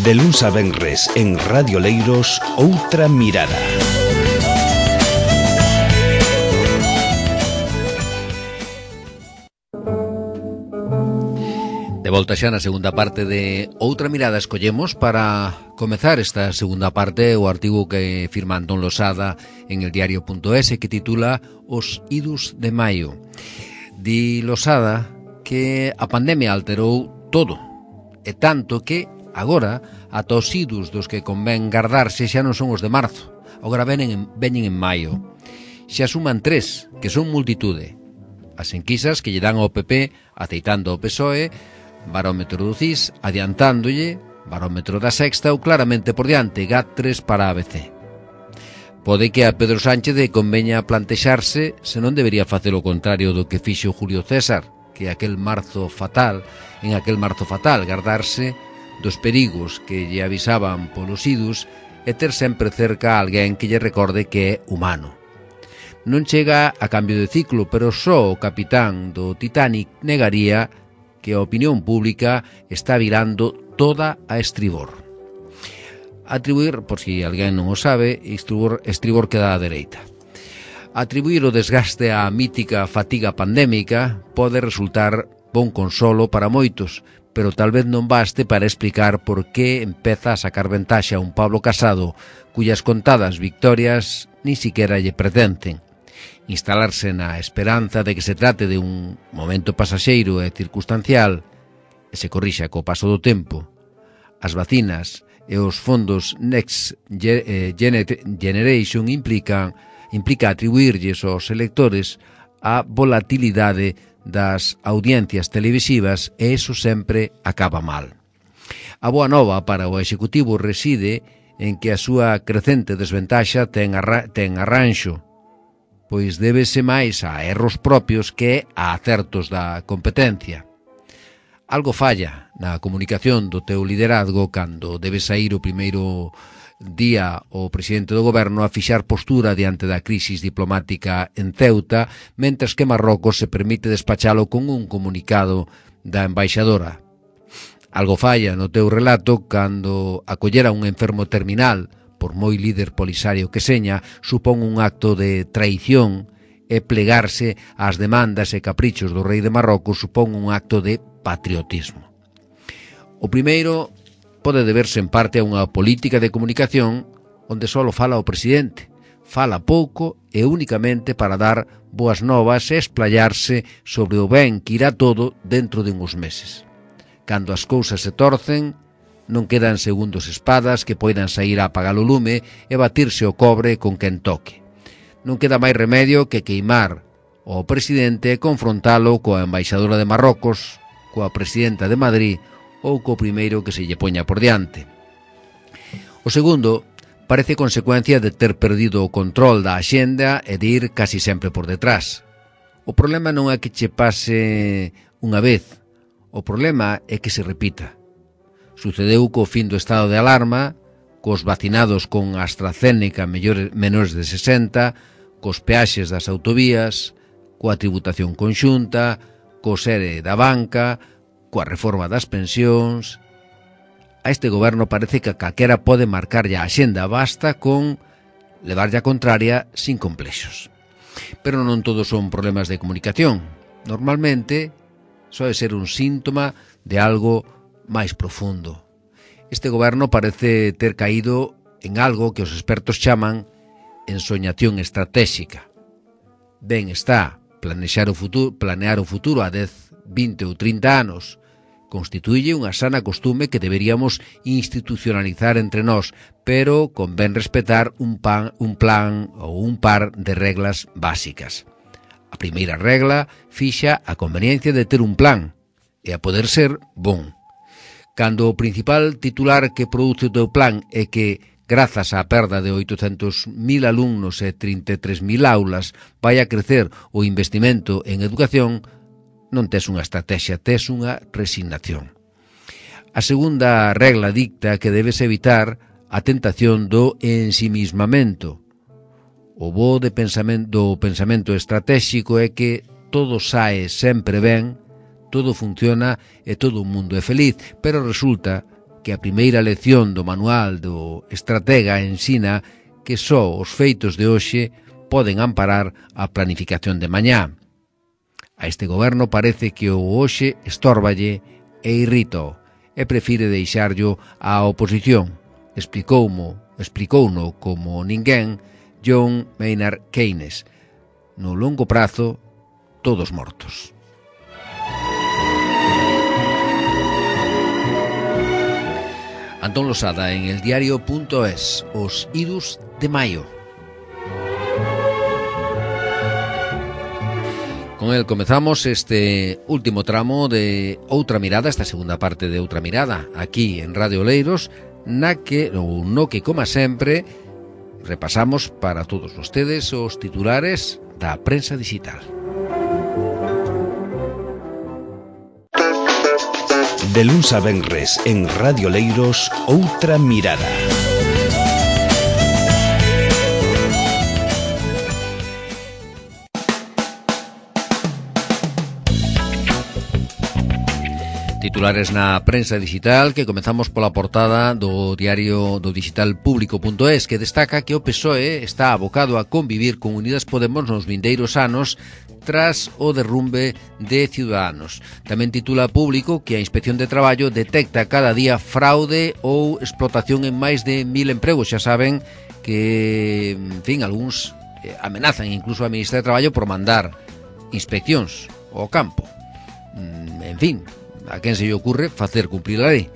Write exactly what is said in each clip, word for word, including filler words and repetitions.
De luns a venres en Radio Leiros, Outra Mirada. De volta xa na segunda parte de Outra Mirada, escollemos para comezar esta segunda parte o artigo que firma Antón Losada en el diario punto es que titula Os idus de maio. Di Losada que a pandemia alterou todo, e tanto que agora ata os idus dos que convén gardarse xa non son os de marzo, agora veñen en, veñen en maio. Xa suman tres, que son multitude: as enquisas que lle dan ao P P aceitando ao P S O E, barómetro do C I S adiantándolle, barómetro da Sexta ou claramente por diante, G A T tres para A B C. Pode que a Pedro Sánchez conveña plantexarse se non debería facer o contrario do que fixo Julio César, que aquel marzo fatal, en aquel marzo fatal, gardarse dos perigos que lle avisaban polos idus e ter sempre cerca a alguén que lle recorde que é humano. Non chega a cambio de ciclo, pero só o capitán do Titanic negaría que a opinión pública está virando toda a estribor. Atribuir, por si alguén non o sabe, estribor, estribor queda á dereita. Atribuir o desgaste á mítica fatiga pandémica pode resultar bon consolo para moitos, pero tal vez non baste para explicar por que empeza a sacar ventaxa un Pablo Casado cuyas contadas victorias ni siquiera lle pertencen. Instalarse na esperanza de que se trate de un momento pasaxeiro e circunstancial e se corrixa co paso do tempo. As vacinas e os fondos Next Generation implican, implica atribuirlles aos electores a volatilidade das audiencias televisivas e iso sempre acaba mal. A boa nova para o Executivo reside en que a súa crecente desventaxa ten, arra ten arranxo, pois débese máis a erros propios que a acertos da competencia. Algo falla na comunicación do teu liderazgo cando debe saír o primeiro día o presidente do goberno a fixar postura diante da crisis diplomática en Ceuta, mentres que Marrocos se permite despachalo con un comunicado da embaixadora. Algo falla no teu relato cando acoller a un enfermo terminal, por moi líder polisario que seña, supón un acto de traición e plegarse ás demandas e caprichos do rei de Marrocos supón un acto de patriotismo. O primeiro pode deberse en parte a unha política de comunicación onde só fala o presidente, fala pouco e únicamente para dar boas novas e esplayarse sobre o ben que irá todo dentro de uns meses. Cando as cousas se torcen, non quedan segundos espadas que poidan sair a apagar o lume e batirse o cobre con quen toque. Non queda máis remedio que queimar ao presidente e confrontalo coa embaixadora de Marrocos, coa presidenta de Madrid ou co primeiro que se lle poña por diante. O segundo parece consecuencia de ter perdido o control da axenda e de ir casi sempre por detrás. O problema non é que che pase unha vez, o problema é que se repita. Sucedeu co fin do estado de alarma, cos vacinados con AstraZeneca menores de sesenta, cos peaxes das autovías, coa tributación conxunta, co sere da banca, coa reforma das pensións. A este goberno parece que calquera pode marcarlle a axenda, basta con levarlle a contraria sin complexos. Pero non todos son problemas de comunicación. Normalmente, soe ser un síntoma de algo máis profundo. Este goberno parece ter caído en algo que os expertos chaman ensoñación estratégica. Ben está planexar o futuro, planear o futuro a dez, vinte ou trinta anos, constituílle unha sana costume que deberíamos institucionalizar entre nós, pero convén respetar un, pan, un plan ou un par de reglas básicas. A primeira regla fixa a conveniencia de ter un plan, e a poder ser bon. Cando o principal titular que produce o teu plan é que, grazas á perda de oitocentos mil alumnos e trinta e tres mil aulas, vai a crecer o investimento en educación, non tes unha estrategia, tes unha resignación. A segunda regla dicta que debes evitar a tentación do ensimismamento. O bo de pensamento, do pensamento estratégico é que todo sae sempre ben, todo funciona e todo o mundo é feliz, pero resulta que a primeira lección do manual do estratega ensina que só os feitos de hoxe poden amparar a planificación de mañá. A este goberno parece que o hoxe estórballe e irrítao e prefire deixarllo á oposición. Explicoumo, explicouno como ninguén John Maynard Keynes. No longo prazo, todos mortos. Antón Losada en eldiario.es, os idus de maio. Con el comezamos este último tramo de Outra Mirada, esta segunda parte de Outra Mirada, aquí en Radio Oleiros, na que, ou no que, como sempre, repasamos para todos vostedes os titulares da prensa digital. De luns a venres en Radio Oleiros, Outra Mirada. Titulares na prensa digital, que comezamos pola portada do diario do digital público punto es, que destaca que o P S O E está abocado a convivir con Unidas Podemos nos vindeiros anos tras o derrumbe de Ciudadanos. Tamén titula Público que a Inspección de Traballo detecta cada día fraude ou explotación en máis de mil empregos. Xa saben que, en fin, algúns eh, amenazan incluso a Ministra de Traballo por mandar inspeccións ao campo. Mm, en fin, a quen se lle ocurre facer cumprir a lei.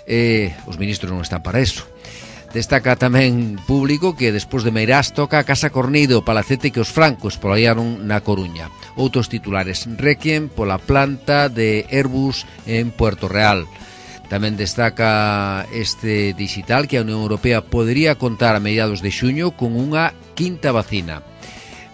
Eh, os ministros non están para eso. Destaca tamén Público que despois de Meirás toca a Casa Cornido, o palacete que os francos espolallaron na Coruña. Outros titulares: Requiem pola planta de Airbus en Puerto Real. Tamén destaca este digital que a Unión Europea podería contar a mediados de xuño con unha quinta vacina.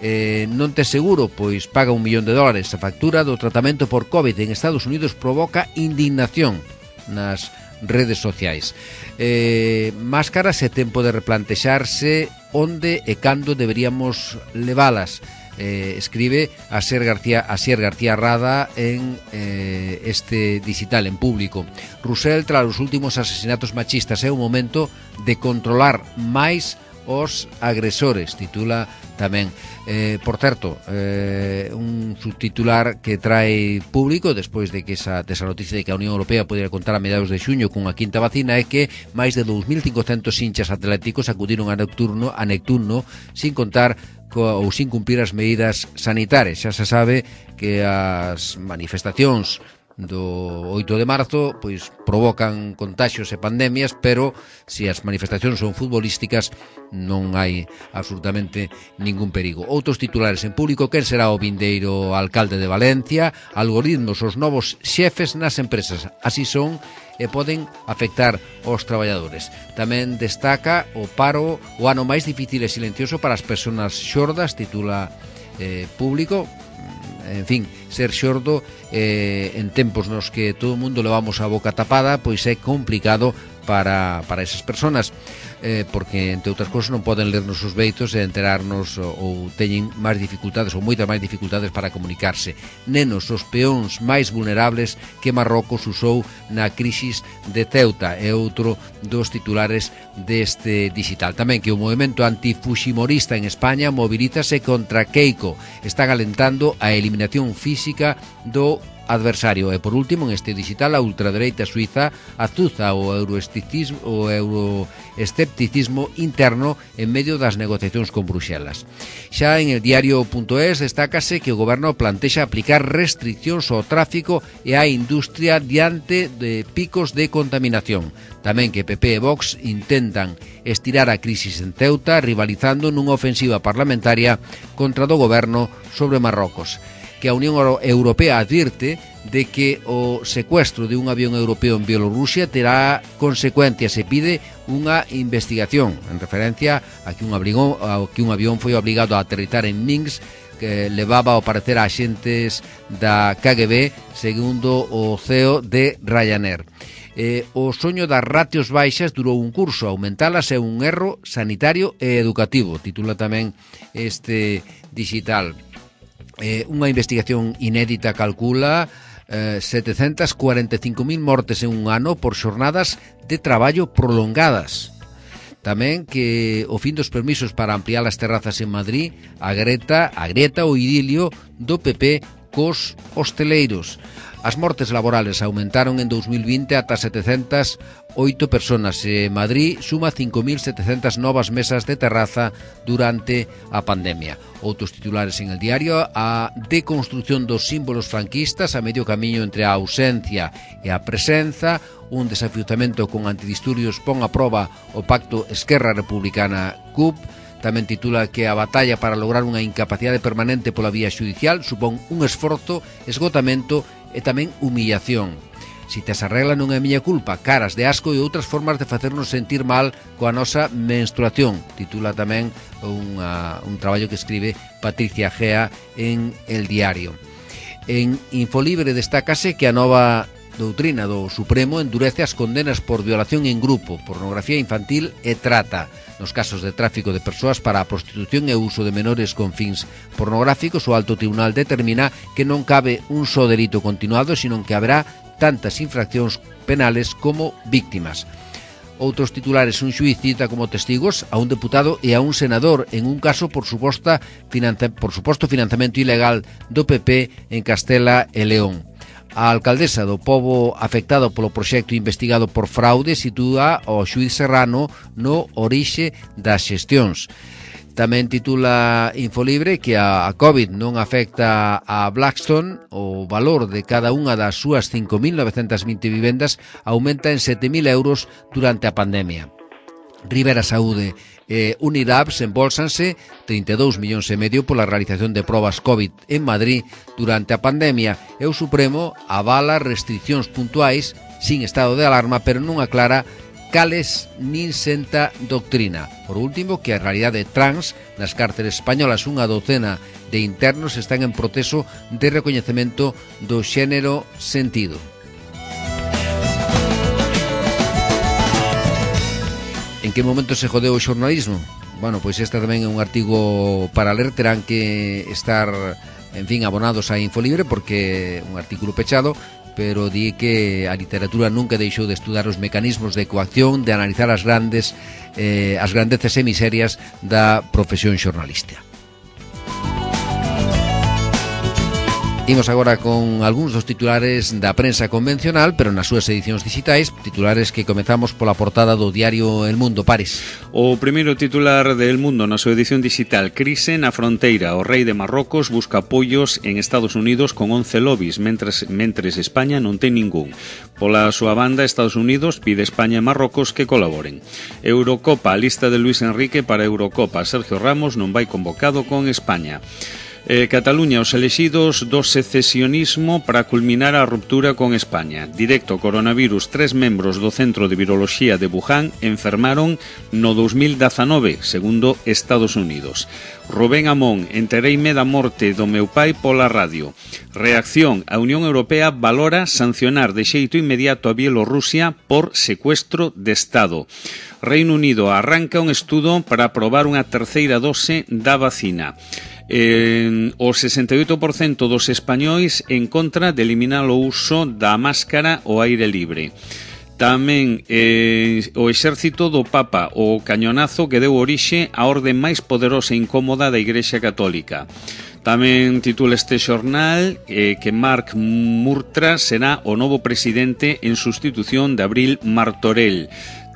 Eh, non te seguro, pois paga un millón de dólares. A factura do tratamento por COVID en Estados Unidos provoca indignación nas redes sociais. Eh, máscaras é tempo de replantexarse onde e cando deberíamos levalas. Eh, escribe Asier García, Asier García Rada en eh, este digital en Público. Rusell, tras os últimos asesinatos machistas, é o momento de controlar máis os agresores, titula tamén. Eh, por certo, eh, un subtitular que trae Público despois de que esa, de esa noticia de que a Unión Europea podría contar a mediados de xuño cunha quinta vacina é que máis de dous mil cincocentos hinchas atléticos acudiron a Neptuno, a Neptuno sin contar co, ou sin cumprir as medidas sanitarias. Xa se sabe que as manifestacións do oito de marzo pois provocan contaxios e pandemias, pero se as manifestacións son futbolísticas non hai absolutamente ningún perigo. Outros titulares en Público: quen será o vindeiro alcalde de Valencia? Algoritmos, os novos xefes nas empresas, así son e poden afectar aos traballadores. Tamén destaca o paro, o ano máis difícil e silencioso para as persoas xordas, titula eh, Público. En fin, ser xordo eh, en tempos nos que todo o mundo levamos a boca tapada, pois é complicado para, para esas personas, eh, porque, entre outras cousas, non poden lernos os beitos e enterarnos ou, ou teñen máis dificultades ou moitas máis dificultades para comunicarse. Nenos, os peóns máis vulnerables que Marrocos usou na crisis de Ceuta, é outro dos titulares deste digital. Tamén que o movimento antifujimorista en España mobilízase contra Keiko, está alentando a eliminación física do adversario. E por último, en este digital, a ultradereita suiza azuza o euroescepticismo, o euroescepticismo interno en medio das negociacións con Bruxelas. Xa en el diario.es destácase que o goberno plantexa aplicar restriccións ao tráfico e á industria diante de picos de contaminación. Tamén que P P e Vox intentan estirar a crisis en Ceuta, rivalizando nunha ofensiva parlamentaria contra do goberno sobre Marrocos. Que a Unión Europea advirte de que o secuestro de un avión europeo en Bielorrusia terá consecuencias e pide unha investigación en referencia a que un, abrigo, a que un avión foi obligado a aterrizar en Minsk, que levaba ao parecer a axentes da K G B, segundo o C E O de Ryanair. Eh, o soño das ratios baixas durou un curso, aumentalas é un erro sanitario e educativo, titula tamén este digital. Eh, unha investigación inédita calcula eh, setecentas cuarenta e cinco mil mortes en un ano por xornadas de traballo prolongadas. Tamén que o fin dos permisos para ampliar as terrazas en Madrid, a greta, a grieta ou idilio do P P cos hosteleiros. As mortes laborales aumentaron en dous mil vinte ata setecentas oito personas e Madrid suma cinco mil setecentas novas mesas de terraza durante a pandemia. Outros titulares en el diario: a deconstrucción dos símbolos franquistas a medio camiño entre a ausencia e a presenza, un desafiuzamento con antidisturbios pon a proba o pacto Esquerra Republicana C U P. Tamén titula que a batalla para lograr unha incapacidade permanente pola vía xudicial supón un esforzo, esgotamento e tamén humillación. Si te esa regla non é miña culpa, caras de asco e outras formas de facernos sentir mal coa nosa menstruación, titula tamén unha, un traballo que escribe Patricia Gea en El Diario. En Infolibre destácase que a nova doutrina do Supremo endurece as condenas por violación en grupo, pornografía infantil e trata. Nos casos de tráfico de persoas para a prostitución e uso de menores con fins pornográficos, o Alto Tribunal determina que non cabe un só delito continuado, sino que haberá tantas infraccións penales como víctimas. Outros titulares: un xuiz cita como testigos a un deputado e a un senador en un caso por suposta finanza, por suposto financiamento ilegal do P P en Castela e León. A alcaldesa do pobo afectado polo proxecto investigado por fraude sitúa o xuiz Serrano no orixe das xestións. Tamén titula Infolibre que a COVID non afecta a Blackstone. O valor de cada unha das súas cinco mil novecentas vinte vivendas aumenta en sete mil euros durante a pandemia. Rivera Saúde e Unilabs embolsanse trinta e dous millóns e medio pola realización de probas COVID en Madrid durante a pandemia, e o Supremo avala restriccións puntuais sin estado de alarma, pero non aclara cales nin senta doctrina. Por último, que a realidade trans nas cárceles españolas, unha docena de internos están en proceso de recoñecemento do xénero sentido. En que momento se jodeu o xornalismo? Bueno, pois este tamén é un artigo para ler, terán que estar, en fin, abonados a Infolibre porque é un artículo pechado, pero di que a literatura nunca deixou de estudar os mecanismos de coacción, de analizar as grandes eh, as grandezas e miserias da profesión xornalística. Imos agora con algúns dos titulares da prensa convencional, pero nas súas edicións digitais, titulares que comezamos pola portada do diario El Mundo. Pares. O primeiro titular de El Mundo na súa edición digital: crise na fronteira. O rei de Marrocos busca apoios en Estados Unidos con once lobbies, mentres, mentres España non ten ningún. Pola súa banda, Estados Unidos pide a España e Marrocos que colaboren. Eurocopa, a lista de Luis Enrique para Eurocopa. Sergio Ramos non vai convocado con España. Eh, Cataluña, os elexidos do secesionismo para culminar a ruptura con España. Directo coronavirus, tres membros do Centro de Viroloxía de Wuhan enfermaron no dous mil dezanove, segundo Estados Unidos. Rubén Amón, entereime da morte do meu pai pola radio. Reacción, a Unión Europea valora sancionar de xeito inmediato a Bielorrusia por secuestro de Estado. Reino Unido, arranca un estudo para aprobar unha terceira dose da vacina. Eh, o sesenta e oito por cento dos españois en contra de eliminar o uso da máscara ao aire libre. Tamén eh, o exército do Papa, o cañonazo que deu orixe á orde máis poderosa e incómoda da Igrexa Católica. Tamén titula este xornal eh, que Marc Murtra será o novo presidente en sustitución de Abril Martorell.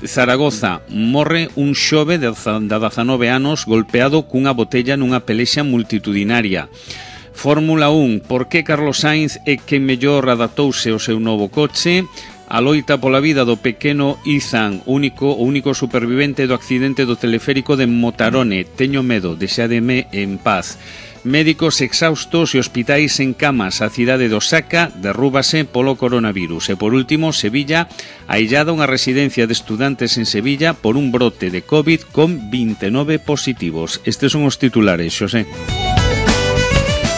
Zaragoza, morre un xove de dezanove anos golpeado cunha botella nunha pelexa multitudinaria. Fórmula un, por que Carlos Sainz é quen mellor adaptouse ao seu novo coche? A loita pola vida do pequeno Izan, único, o único supervivente do accidente do teleférico de Motarone. Teño medo, deixádeme en paz. Médicos exhaustos e hospitais en camas. A cidade de Osaka derrúbase polo coronavirus. E por último, Sevilla, aillada unha residencia de estudantes en Sevilla por un brote de COVID con vinte e nove positivos. Estes son os titulares, Xosé.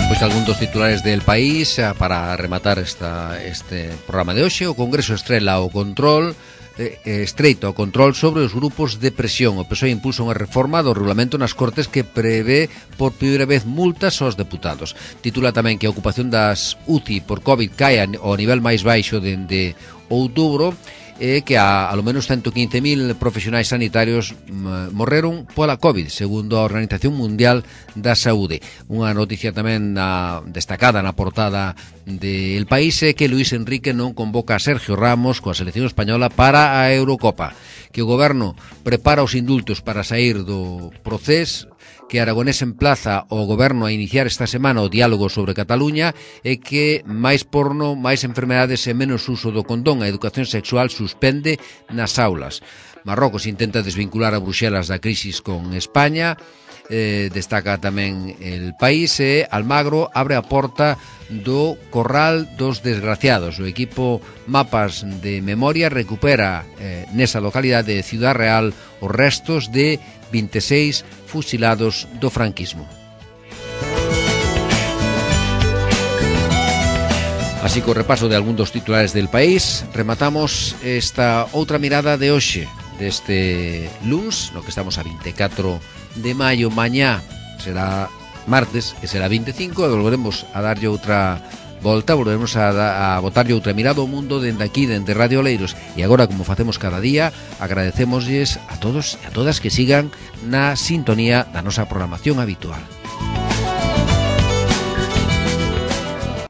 Pois algún dos titulares del país para rematar esta, este programa de hoxe. O Congreso estrela o control eh, estreito o control sobre os grupos de presión. O P S O E impulsa unha reforma do regulamento nas Cortes que prevé por primeira vez multas aos deputados. Titula tamén que a ocupación das U C I por COVID cae ao nivel máis baixo dende outubro, e que a, a lo menos ciento quince mil profesionais sanitarios m, morreron pola COVID, segundo a Organización Mundial da Saúde. Unha noticia tamén na, destacada na portada de El País é que Luís Enrique non convoca a Sergio Ramos coa selección española para a Eurocopa, que o goberno prepara os indultos para sair do procés, que Aragonés emplaza o goberno a iniciar esta semana o diálogo sobre Cataluña, e que máis porno, máis enfermedades e menos uso do condón. A educación sexual suspende nas aulas. Marrocos intenta desvincular a Bruxelas da crisis con España. Eh, destaca tamén El País, e Almagro abre a porta do Corral dos Desgraciados. O equipo Mapas de Memoria recupera eh, nesa localidade de Ciudad Real os restos de vinte e seis fusilados do franquismo. Así, co repaso de algún dos titulares del País, rematamos esta outra mirada de hoxe, deste luns, no que estamos a vinte e catro de maio. Mañá será martes, e será vinte e cinco, e volveremos a darlle outra volta, volveremos a, a botarlle outra mirada ao mundo dende aquí, dende Radio Oleiros. E agora, como facemos cada día, agradecémoslles a todos e a todas que sigan na sintonía da nosa programación habitual.